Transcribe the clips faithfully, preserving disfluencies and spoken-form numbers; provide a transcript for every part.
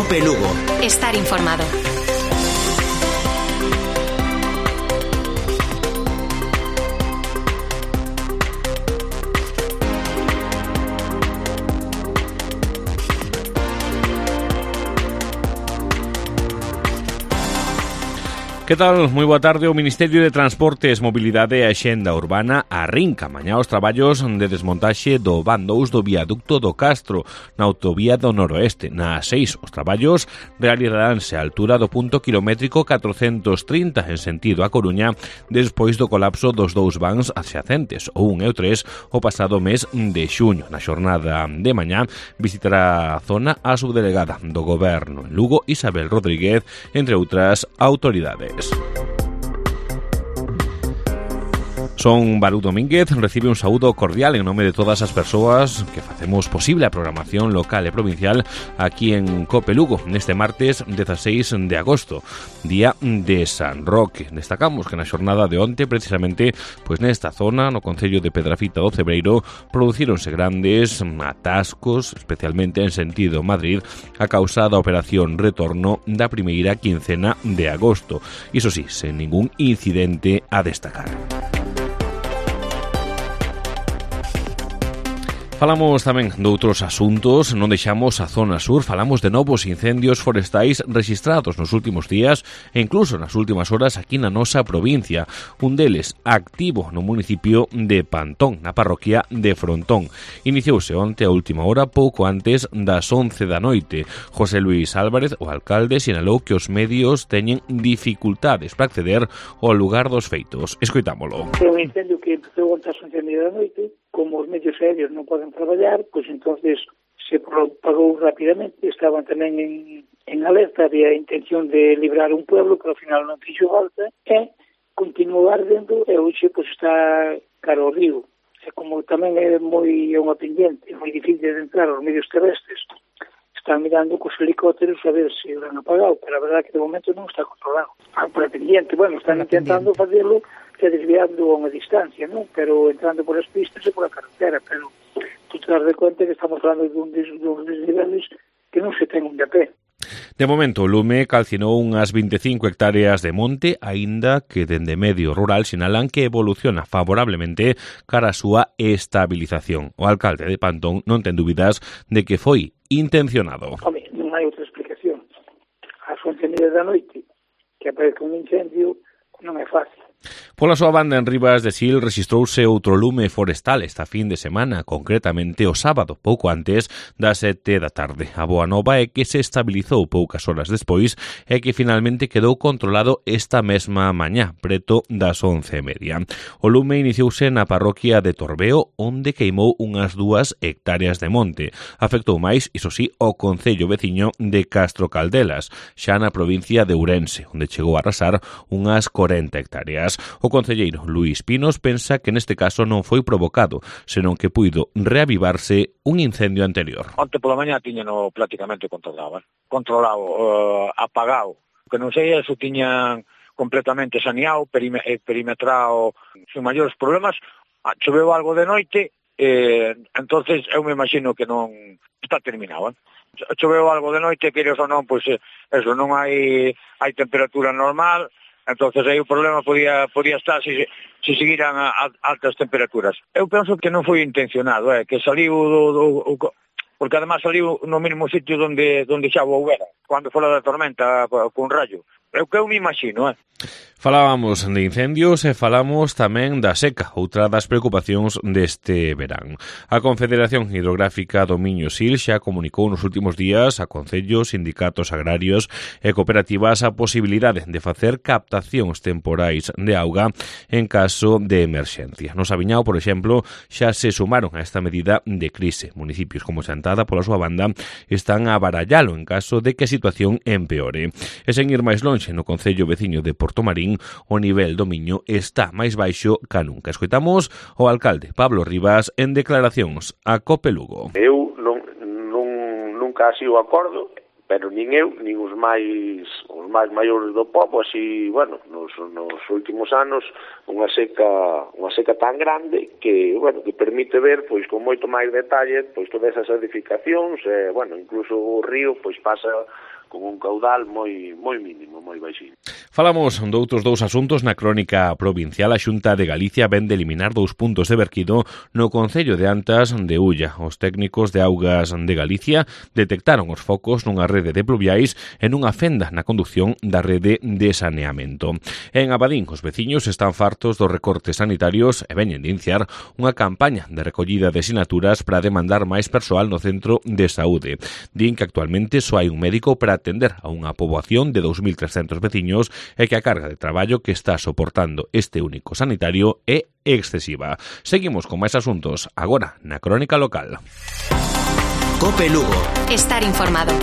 COPE Lugo. Estar informado. Que tal? Moi boa tarde. O Ministerio de Transportes, Mobilidade e Axenda Urbana arrinca mañá os traballos de desmontaxe do van dous do viaducto do Castro na autovía do Noroeste. Na A seis, os traballos realizaránse á altura do punto kilométrico catrocentos trinta en sentido a Coruña despois do colapso dos dous vans adxacentes, o un e o tres, o pasado mes de xuño. Na xornada de mañá visitará a zona a subdelegada do Goberno en Lugo, Isabel Rodríguez, entre outras autoridades. Son Balú Domínguez, recibe un saúdo cordial en nome de todas as persoas que facemos posible a programación local e provincial aquí en COPE Lugo, neste martes dezasseis de agosto, día de San Roque. Destacamos que na xornada de onte, precisamente, pois nesta zona, no concello de Pedrafita do Cebreiro, producíronse grandes atascos, especialmente en sentido Madrid, a causa da operación retorno da primeira quincena de agosto. Iso sí, sen ningún incidente a destacar. Falamos tamén doutros asuntos, non deixamos a zona sur, falamos de novos incendios forestais rexistrados nos últimos días e incluso nas últimas horas aquí na nosa provincia. Un deles activo no municipio de Pantón, na parroquia de Frontón. Iniciouse onte a última hora, pouco antes das once da noite. José Luis Álvarez, o alcalde, sinalou que os medios teñen dificultades para acceder ao lugar dos feitos. Escoitámolo. É un incendio que empezou onte ás once da noite. Como os medios aéreos non poden traballar, pois entonces se propagou rapidamente. Estaban tamén en, en alerta, había a intención de librar un pueblo, pero ao final non fixo falta, e continuou ardendo, e hoxe pois está caro ao río. E como tamén é moi é unha pendiente, é moi difícil de entrar aos medios terrestres, están mirando cos helicópteros a ver se o han apagado, pero a verdade é que de momento non está controlado. Ah, por a pendiente, bueno, están intentando facelo que desviando a unha distancia, non? Pero entrando por as pistas e por a carretera, pero tú te das de conta que estamos falando dun dos desniveles que non se ten un de pé. De momento, o lume calcinou unhas veinticinco hectáreas de monte, aínda que dende medio rural sinalan que evoluciona favorablemente cara a súa estabilización. O alcalde de Pantón non ten dúbidas de que foi intencionado. Home, non hai outra explicación. Ás once e media da noite que aparece un incendio non é fácil. Pola súa banda, en Rivas de Sil rexistrouse outro lume forestal esta fin de semana, concretamente o sábado, pouco antes das sete da tarde. A boa nova é que se estabilizou poucas horas despois e que finalmente quedou controlado esta mesma mañá, preto das once e media. O lume iniciouse na parroquia de Torbeo, onde queimou unhas dúas hectáreas de monte. Afectou máis, iso sí, o concello veciño de Castro Caldelas, xa na provincia de Ourense, onde chegou a arrasar unhas corenta hectáreas. O concelleiro Luís Pinos pensa que neste caso non foi provocado, senón que puido reavivarse un incendio anterior. Onte pola mañá tiñano prácticamente controlado, controlado, uh, apagado. Que non sei se tiñan completamente saneado, perime, perimetrado, sin maiores problemas. Choveu algo de noite, eh, entonces eu me imagino que non está terminado. Eh? Choveu algo de noite, queres ou non, pois eso, non hai hai temperatura normal. Entonces aí o problema podía podía estar se, se seguiran a, a altas temperaturas. Eu penso que non foi intencionado, eh, que saliu do, do, do porque además saliu no mesmo sitio onde onde xa houbera, cando fora da tormenta con rayo. É o que eu me imagino, eh. Falábamos de incendios e falamos tamén da seca, outra das preocupacións deste verán. A Confederación Hidrográfica do Miño-Sil xa comunicou nos últimos días a concellos, sindicatos agrarios e cooperativas a posibilidade de facer captacións temporais de auga en caso de emerxencia. No Sabiñao, por exemplo, xa se sumaron a esta medida de crise. Municipios como Chantada, pola súa banda, están a barallalo en caso de que a situación empeore. E sen ir máis lonxe, no concello veciño de Portomarín, o nivel do Miño está máis baixo ca nunca. Escoitamos o alcalde Pablo Rivas en declaracións a COPE Lugo. Eu non, non, nunca así o acordo, pero nin eu, nin os máis os máis maiores do pobo, así, bueno, nos, nos últimos anos, unha seca unha seca tan grande que, bueno, que permite ver, pois, con moito máis detalle, pois, todas esas edificacións, eh, bueno, incluso o río, pois, pasa con un caudal moi moi mínimo, moi baixinho. Falamos doutros dous asuntos na crónica provincial. A Xunta de Galicia vén de eliminar dous puntos de verquido no concello de Antas de Ulla. Os técnicos de Augas de Galicia detectaron os focos nunha rede de pluviais e nunha fenda na conducción da rede de saneamento. En Abadín, os veciños están fartos dos recortes sanitarios e veñen de iniciar unha campaña de recollida de sinaturas para demandar máis persoal no centro de saúde. Din que actualmente só hai un médico para atender a unha poboación de dous mil trescentos veciños e que a carga de traballo que está soportando este único sanitario é excesiva. Seguimos con máis asuntos agora na crónica local. Cope Lugo. Estar informado.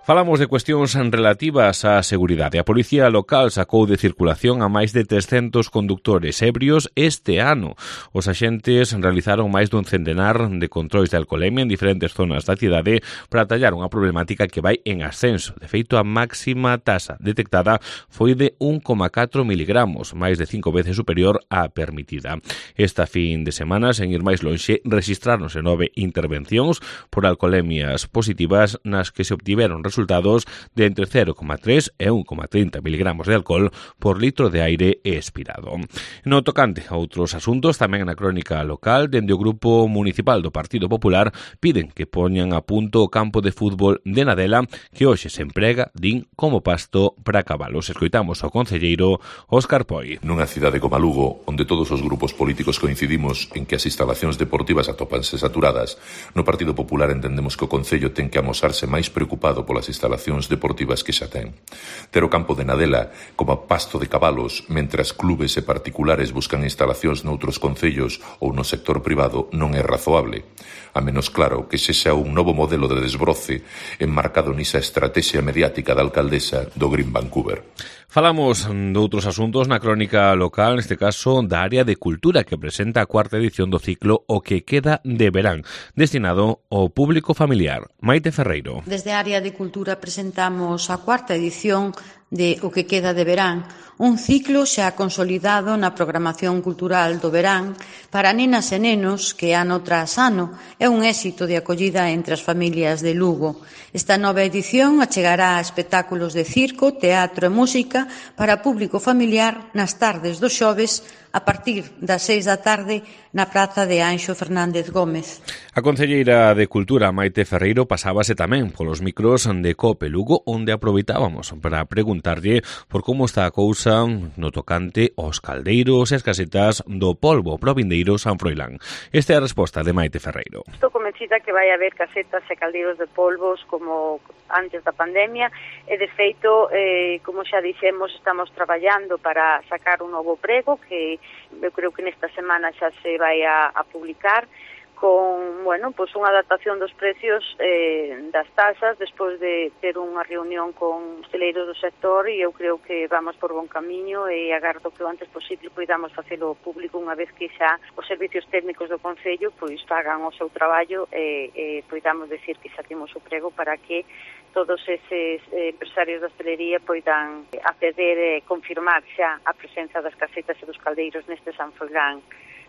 Falamos de cuestións relativas á seguridade. A Policía Local sacou de circulación a máis de trescentos conductores ebrios este ano. Os axentes realizaron máis dun centenar de controis de alcolemia en diferentes zonas da cidade para atallar unha problemática que vai en ascenso. De feito, a máxima tasa detectada foi de un coma catro miligramos, máis de cinco veces superior á permitida. Esta fin de semana, sen ir máis lonxe, rexistráronse nove intervencións por alcolemias positivas nas que se obtiveron resultados resultados de entre cero coma tres e un coma trinta miligramos de alcohol por litro de aire expirado. No tocante a outros asuntos, tamén na crónica local, dende o Grupo Municipal do Partido Popular piden que poñan a punto o campo de fútbol de Nadela que hoxe se emprega, din, como pasto para cabalos. Escoitamos ao concelleiro Óscar Poi. Nunha cidade como Lugo, onde todos os grupos políticos coincidimos en que as instalacións deportivas atópanse saturadas, no Partido Popular entendemos que o Concello ten que amosarse máis preocupado polas instalacións deportivas que xa ten. Ter o campo de Nadela como pasto de cabalos, mentras clubes e particulares buscan instalacións noutros concellos ou no sector privado, non é razoable. A menos claro que sexa un novo modelo de desbroce enmarcado nisa estrategia mediática da alcaldesa do Green Vancouver. Falamos de outros asuntos na crónica local, neste caso da área de cultura, que presenta a cuarta edición do ciclo O que queda de verán, destinado ao público familiar. Maite Ferreiro. Desde a área de cultura presentamos a cuarta edición de O que queda de verán, un ciclo xa consolidado na programación cultural do verán para nenas e nenos que ano tras ano é un éxito de acollida entre as familias de Lugo. Esta nova edición achegará espectáculos de circo, teatro e música para público familiar nas tardes dos xoves a partir das seis da tarde na praza de Anxo Fernández Gómez. A concelleira de Cultura, Maite Ferreiro, pasábase tamén polos micros de Cope Lugo, onde aproveitábamos para preguntarlle por como está a cousa no tocante aos caldeiros e as casetas do polvo provindeiro San Froilán. Esta é a resposta de Maite Ferreiro. Estou convencida que vai haber casetas e caldeiros de polvos como antes da pandemia e, de feito, eh, como xa dixemos, estamos traballando para sacar un novo prego que eu creo que nesta semana xa se vai a, a publicar con, bueno, pues unha adaptación dos precios eh, das tasas despois de ter unha reunión con celeiros do sector, e eu creo que vamos por bon camiño e agardo que o antes posible poidamos facelo público unha vez que xa os servicios técnicos do Concello pois fagan o seu traballo e, e poidamos decir que xa temos o prego para que todos eses eh, empresarios da hostelería poidan acceder e confirmar xa a presenza das casetas e dos caldeiros neste San Froilán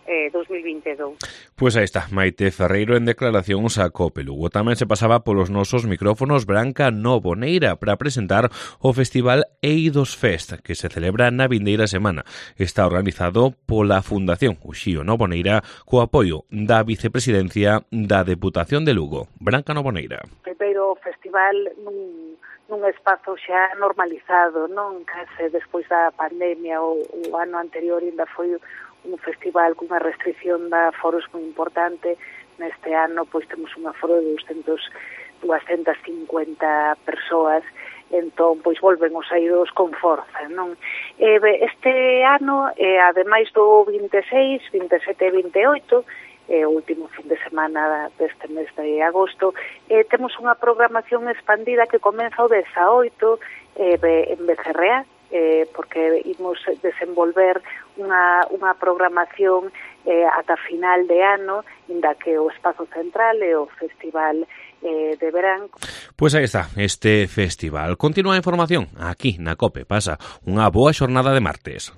Eh, dos mil vinte e dous. Pois aí está, Maite Ferreiro en declaracións a Cope Lugo. Tamén se pasaba polos nosos micrófonos Branca Novoneira para presentar o Festival Eidos Fest, que se celebra na vindeira semana. Está organizado pola Fundación Uxío Novoneira co apoio da Vicepresidencia da Deputación de Lugo. Branca Novoneira. Primeiro festival nun, nun espazo xa normalizado, non? Case despois da pandemia, o, o ano anterior ainda foi un festival cunha restricción de aforos moi importante. Neste ano pois temos un aforo de doscientas cincuenta persoas, entón pois volven os eidos con forza, non? E, este ano, eh, ademais do vinte e seis, vinte e sete e vinte e oito, eh, o último fin de semana deste mes de agosto, eh, temos unha programación expandida que comeza o dezaoito eh, en Becerrea, eh, porque imos desenvolver unha, unha programación eh, ata final de ano, inda que o espazo central é o festival eh, de verán. Pois aí está, este festival. Continúa a información aquí na COPE. Pasa unha boa xornada de martes.